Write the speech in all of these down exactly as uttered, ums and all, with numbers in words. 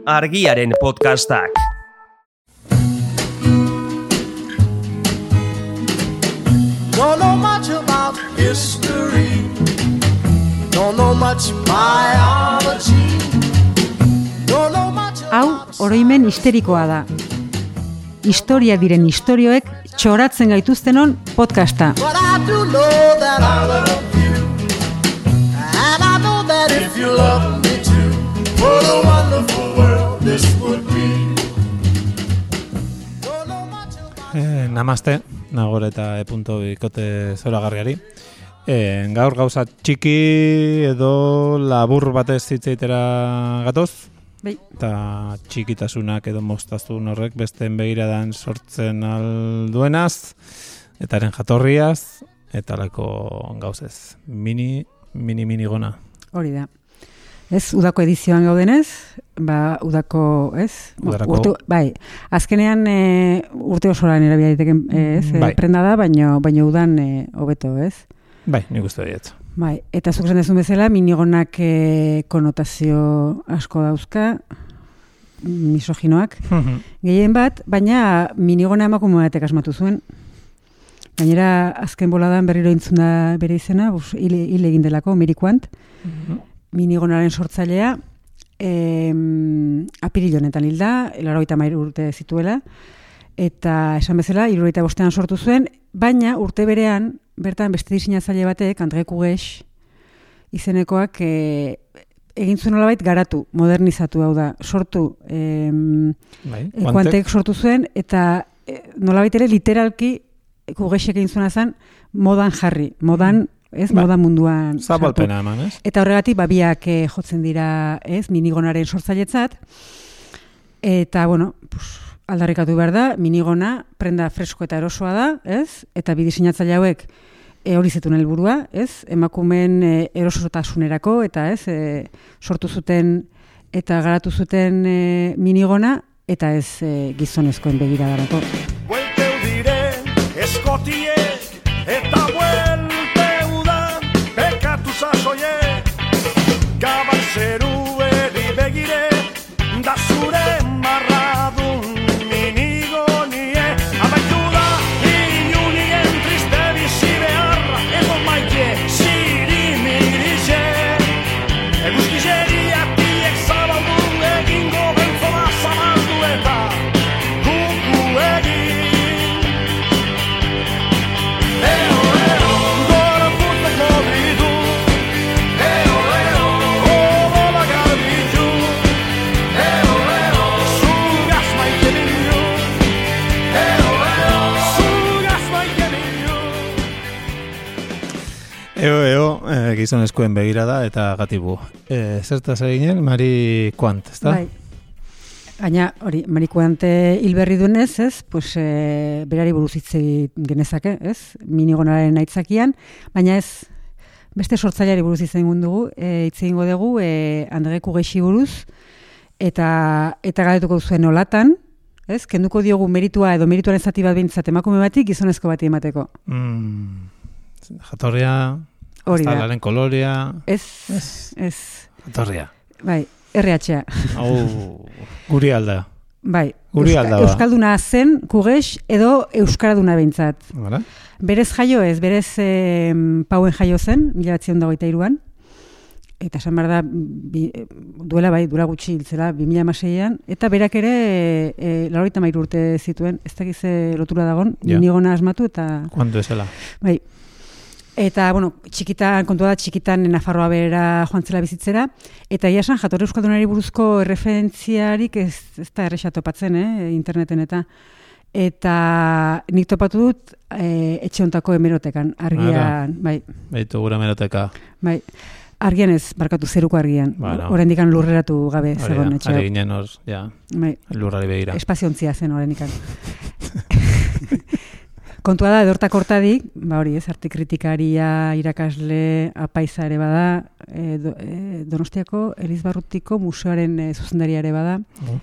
Argiaren podcastak. Don't know much about history. Don't know much biology. Don't know much. Hau oroimen histerikoa da. Historia diren istorioek txoratzen gaituztenon podcasta. But I do know that I love you. And I know that if you love me too, what a wonderful world this would be. Don't know much about. Eh, namaste, nagore eta e punto bikote zoragarriari. Eh, gaur gauza txiki edo labur batez hitz egitera gatoz. Bai. Eta txikitasunak edo moztazun horrek besteen begiradan sortzen alduenaz, eta haren jatorriaz, eta lako gauzez. Mini, mini, mini gona. Hori da. Ez, udako edizioan gaudenez, ba, udako, ez? Udarako. Urte, bai, azkenean e, urte osoran erabia diteken, ez? E, Bai. Prenda da, baino, baino udan e, hobeto, ez? Bai, nik uste diet. Bai, eta zuk esan dezun bezala, minigonak e, konotazio asko dauzka, misoginoak, gehien bat, baina minigona emakume batek asmatu zuen. Gainera, azken boladan berriro intzun da bere izena, bus, hil, hil egin delako, Mirikuant, minigonaren sortzailea, em, apiril honetan hilda, laurogeita hamairu urte zituela, eta esan bezala, hirurogeita bostean sortu zuen, baina urte berean, bertan beste diseinatzaile batek, André Cuges izenekoak, e, egin zuen nolabait garatu, modernizatu hau da, sortu, em, Bai, e, Kuantek sortu zuen, eta e, nolabait ere literalki Cugesek egin zuena zen modan jarri, modan, ez, Ba, modan munduan zabalpena eman, ez? Eta horregatik babiak eh, jotzen dira, ez, minigonaren sortzailetzat. Eta, bueno, pues, aldarrikatu behar da, minigona prenda fresko eta erosoa da, ez? Eta bi diseinatzaile hauek e, hori zetun helburua, ez? Emakumeen e, erosotasunerako eta, ez, e, sortu zuten eta garatu zuten e, minigona eta ez e, gizonezkoen begiradarako. Buelteu dire eskotiek eta buelteu da bekatu sasoiek gabak zerueri begire da zure marradun minigonie amaitu da inunien triste bizi beharra edo maite zirimirize eguzkizeriatiek zabaldu egingo beltzona zabaldu eta kuku egin. Eo, eo, e, gizonezkoen begirada eta gatibu. E, zertaz eginen, Mari Kuant, ezta? Bai. Gaina, hori, Marikuante hilberri duenez, ez, pues, e, berari buruz hitz egin genezake, ez, minigonaren aitzakian, baina ez, beste sortzaileari buruz hitz egingo dugu, e, hitz egingo dugu, e, André Cugesi buruz, eta, eta galdetuko zuen olatan, ez, kenduko diogu meritua edo merituaren zati bat behintzat emakume batik, gizonezko bati emateko. Mm, jatorria, Hori da. aztalaren kolorea, Ez, Ez. ez, jatorria. bai, erre hatxa. Hau, guri alda. Bai, Guri alda ba. Euskalduna zen, Cuges, edo Euskaraduna behintzat. Hala? Berez jaio ez, berez e, pauen jaio zen, mila batzion dagoita iruan, eta esan behar da, bi, duela bai, dura gutxi hiltzela, bi mila hamaseian, eta berak ere, e, e, laurogeita hamairu urte zituen, ez dakize lotura dagon, Ja. minigona asmatu, eta, Kuanto esela. bai, eta, bueno, txikitan, kontua da, txikitan Nafarroa behera joan zela bizitzera, eta ia esan, jatorri euskaldunari buruzko erreferentziarik ez, ez da erresa topatzen, eh, interneten eta, eta nik topatu dut e, etxe hontako hemerotekan, argian, bai, Beitu gura meroteka. bai, argian ez, barkatu zeruko argian, Bueno. oraindikan lurreratu gabe Hori zegoen da, etxe hau. ari ginen hor, ja, Bai, lurrari begira. espaziontzia zen oraindikan. Kontua da, edortak hortadik, ba hori ez, arte kritikaria, irakasle, apaiza ere bada, e, do, e, Donostiako Elizbarrutiko museoaren e, zuzendaria ere bada, Oh.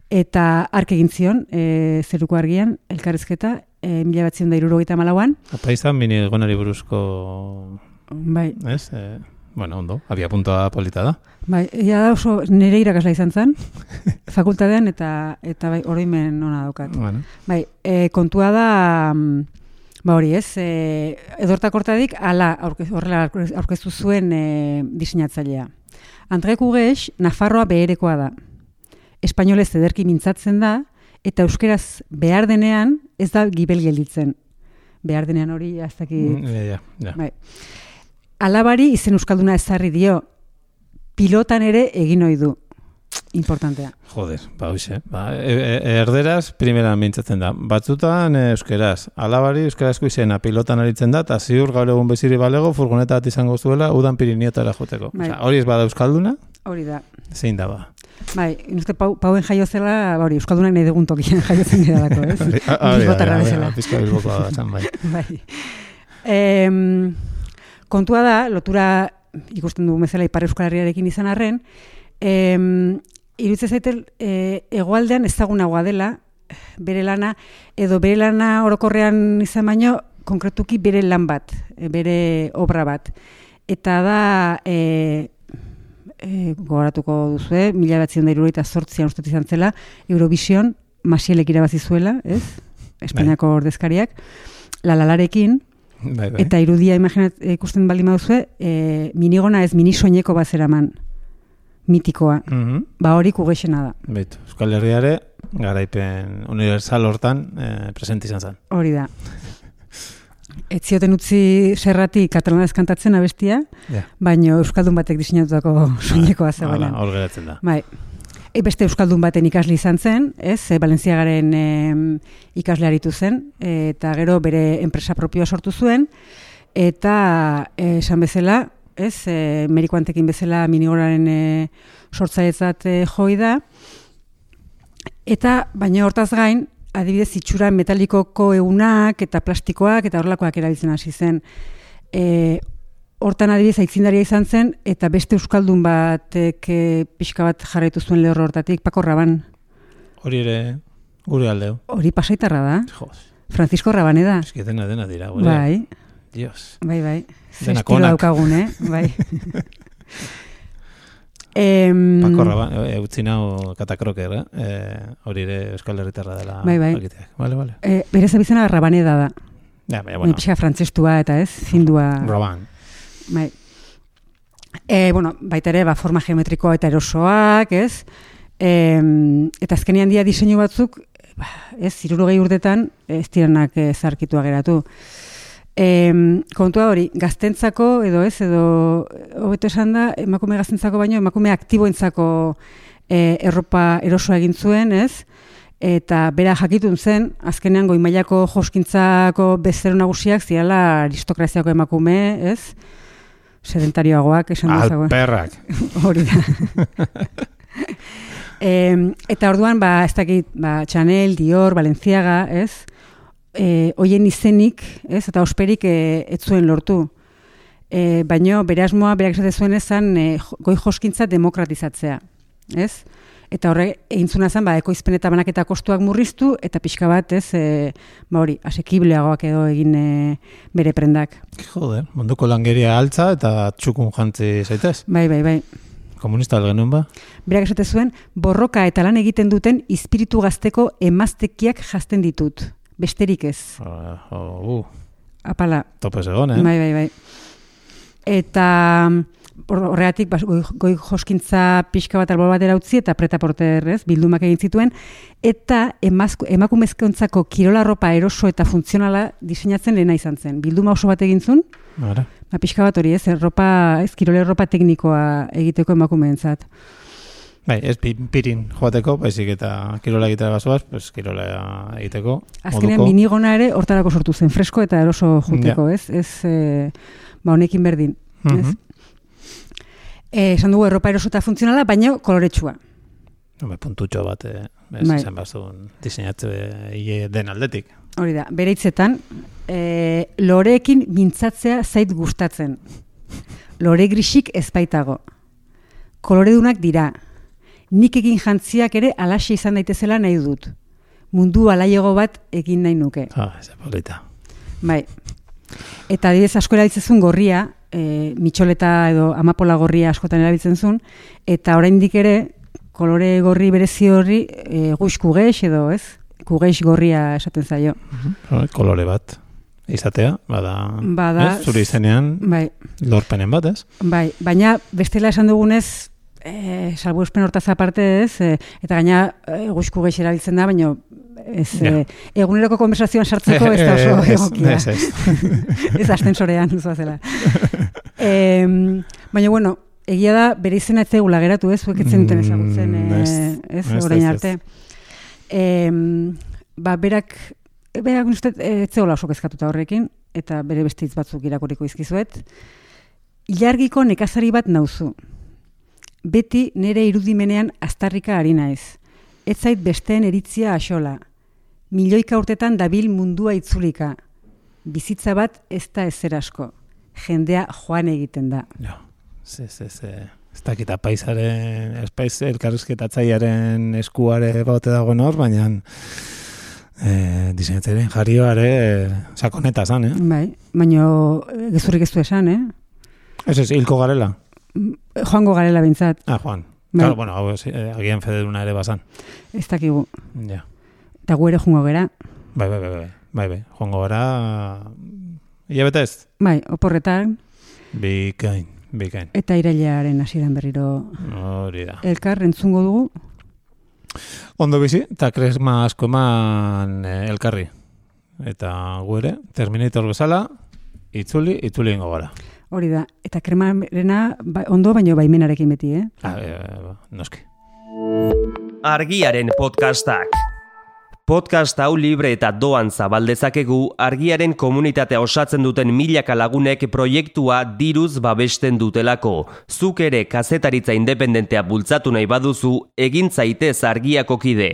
eta ark egin zion, e, zeruko argian, elkarrizketa, e, mila batzion da hirurogeita hamalauan. Apaizan minigonari buruzko, Bai, ez? E, bueno, ondo, abia puntua polita da. Bai, ja da oso nire irakasla izan zen, fakultatean, eta eta bai, oroimen ona daukat. Bueno. Bai, e, kontua da, ba hori ez, e, edortak hortadik, ala aurkez, horrela aurkeztu zuen e, diseinatzailea. Andre Kugex, Nafarroa beherekoa da. Espainolez ederki mintzatzen da, eta euskeraz behar denean ez da gibel gelditzen. Behar denean hori, ez dakit. Ja, ja, ja. Bai. Alabari izen euskalduna ezarri dio, pilotan ere egin ohi du. Importantea. Joder, ba hoxe. Ba, e, e, erderaz primeran mintzatzen da. Batzutan e, euskeraz. Alabari euskarazko izena pilotan aritzen da, eta ziur gaur egun beziri balego furgoneta bat izango zuela udan Pirinioetara joteko. Bai. Osea, hori ez bada euskalduna, Hori da. zein da ba. Bai, uste pau, pauen jaio zela, ba hori, euskaldunak nahi dugun tokian jaiotzen geralako, ez? Bilbotarra bezala. Pizka bilbokoa da, zan bai. Bai. Em, kontua da, lotura ikusten dugu bezala Ipar Euskal Herriarekin izan arren, em, iruditzen zaitel e, hegoaldean ezagunagoa dela, bere lana, edo bere lana orokorrean izan baino, konkretuki bere lan bat, e, bere obra bat. Eta da, e, e, gogoratuko duzue, mila batzion da irurogeita zortzian ustet izan zela, Eurovision, Masielek irabazi zuela, ez? Espainiako ordezkariak, lalalarekin, Bai, bai. eta irudia imaginat ikusten baldin baduzue, e, minigona ez minisoineko bazeraman, mitikoa. Mhm. Ba hori Kugexena da. Beitu, Euskal Herriare garaipen universal hortan eh, presente izan zen. Hori da. Ez zioten utzi Serrati katalanez kantatzen abestia, Ja. baina euskaldun batek diseinatutako soinekoa Hala, zegoenean. hor geratzen da. Bai. E, beste euskaldun baten ikasle izan zen, ez? E, Balentziagaren e, ikasle aritu zen, e, eta gero bere enpresa propioa sortu zuen, eta e, esan bezala, ez? E, Merikuantekin bezala minigoraren e, sortzailetzat e, joi da, eta baina hortaz gain, adibidez itxura metalikoko egunak eta plastikoak eta horrelakoak erabiltzen hasi zen. E, hortan adibidez aitzindaria izan zen eta beste euskaldun batek e, pixka bat jarraitu zuen lehorro hortatik, Paco Raban. Hori ere gure aldeu. Hori pasaitarra da. Jos, Francisco Rabaneda. eski dena dena dira, gure. Bai, Dios. bai, bai. Ze Denak estilo onak. daukagun, eh? Bai. Em, Paco Raban, e, utzi nau katakroker, eh? E, hori ere Euskal Herritarra dela. Bai, bai. jakiteak. Vale, vale. e, bere zabizena Rabaneda da. Ja, baina, Bueno. bueno, Pixka frantzestua eta ez, findua. Raban. Bai. E, bueno, baita ere, ba, forma geometrikoa eta erosoak, ez? E, eta azkenean dia diseinu batzuk, ba, ez, hirurogei urtetan, ez diranak e, zarkitua geratu. E, kontua hori, gaztentzako, edo ez, edo, hobeto esan da, emakume gaztentzako baino, emakume aktiboentzako e, erropa erosoa egin zuen, ez? Eta bera jakitun zen, azkenean goi mailako joskintzako bezero nagusiak zirala aristokraziako emakume, ez? Sedentarioagoak esan dezago. Alperrak. Hori da. e, eta orduan, ba, ez dakit, ba, Chanel, Dior, Balenciaga, ez? E, hoien izenik, ez? Eta osperik e, ez zuen lortu. E, baino, bere asmoa, berak esate zuen ezan, e, goi joskintza demokratizatzea, ez? Eta horre, eintzuna zen, ba, ekoizpen eta banaketa kostuak murriztu, eta pixka bat, ez, e, ba hori, asekibleagoak edo egin e, bere prendak. Joder, munduko langeria altza eta txukun jantzi zaitez. Bai, bai, bai. Komunista algenuen ba? Berak esate zuen, borroka eta lan egiten duten izpiritu gazteko emaztekiak jazten ditut. Besterik ez. Uh, uh, Apala. Topez egon, eh? Bai, bai, bai. Eta horregatik bas, goi, goi joskintza pixka bat albor batera utzi eta preta-porter, ez, bildumak egin zituen, eta emazko, emakumezkontzako kirola ropa eroso eta funtzionala diseinatzen lehena izan zen. Bilduma oso bat egin zuen, Ara. ba, pixka bat hori, ez, erropa, ez, kirole ropa teknikoa egiteko emakumeentzat. Bai, ez pi- pirin joateko, baizik eta kirola egitera bazoaz, pues kirola egiteko. Azkenean moduko. minigona ere hortarako sortu zen, fresko eta eroso juteko, ez? Ez, e, ba, honekin berdin, ez? Mhm. E, esan dugu erropa eroso eta funtzionala, baina koloretsua. Hombre, puntutxo bat, eh, ez, Bai. esan bazun diseinatze hile den aldetik. Hori da, bere hitzetan, e, loreekin mintzatzea zait gustatzen. Lore grisik ez baitago. Koloredunak dira. Nik egin jantziak ere alaxe izan daitezela nahi dut. Mundu alaiego bat egin nahi nuke. Ah, ez polita. Bai. Eta adibidez asko erabiltzen gorria, e, mitxoleta edo amapola gorria askotan erabiltzen zuen, eta oraindik ere kolore gorri berezi horri e, guix kugeix edo, ez? Kugeix gorria esaten zaio. Uh-huh. Kolore bat izatea, bada, bada ez? Zure izenean bai. lorpenen bat, ez? Bai, baina bestela esan dugunez, e, salbuespen hortaz aparte, ez? E, eta gaina e, guix kugeix erabiltzen da, baina ez, ja. e, eguneroko konversazioan sartzeko ez da oso egokia. Ez, ez. Ez astensorean, zuazela. e, baina, bueno, egia da, bere izena ez zegula geratu, ez? Zuek etzen duten ezagutzen, e, ez? ez orain arte. E, ba, berak, berak uste, ez zegoela oso kezkatuta horrekin, eta bere beste hitz batzuk irakuriko izkizuet. Ilargiko nekazari bat nauzu. Beti nire irudimenean aztarrika ari naiz. Ez zait besteen eritzia axola. Milioika urtetan dabil mundua itzulika. Bizitza bat ez da ezer asko. Jendea joan egiten da. Ja, ze, ze, ze. Ez dakit apaizaren, espaiz elkarrizketatzaiaren eskuare baute dagoen hor, baina e, diseinatzaren jarrioare e, sakoneta zan, eh? Bai, baina gezurrik ez du esan, eh? Ez ez, hilko garela? Joango garela bintzat. Ah, Juan. Bai. Claro, bueno, hau, eh, agian federuna ere bazan. Ez dakigu. Ja. Eta gu ere joango gera. Bai, bai, bai, bai, bai, bai. Joango gara, hilabete ez? Bai, oporretan. Bikain, bikain. Eta irailaren hasieran berriro Hori da. elkar entzungo dugu. Ondo bizi, eta kresma asko eman eh, elkarri. Eta gu ere, Terminator bezala, itzuli, itzuli ingo gara. Hori da, eta kremarena ba, ondo baino baimenarekin beti, eh? Ah, e, noski. Argiaren podcastak. Podcast hau libre eta doan zabaldezakegu Argiaren komunitatea osatzen duten milaka lagunek proiektua diruz babesten dutelako. Zuk ere kazetaritza independentea bultzatu nahi baduzu, egin zaitez Argiako kide.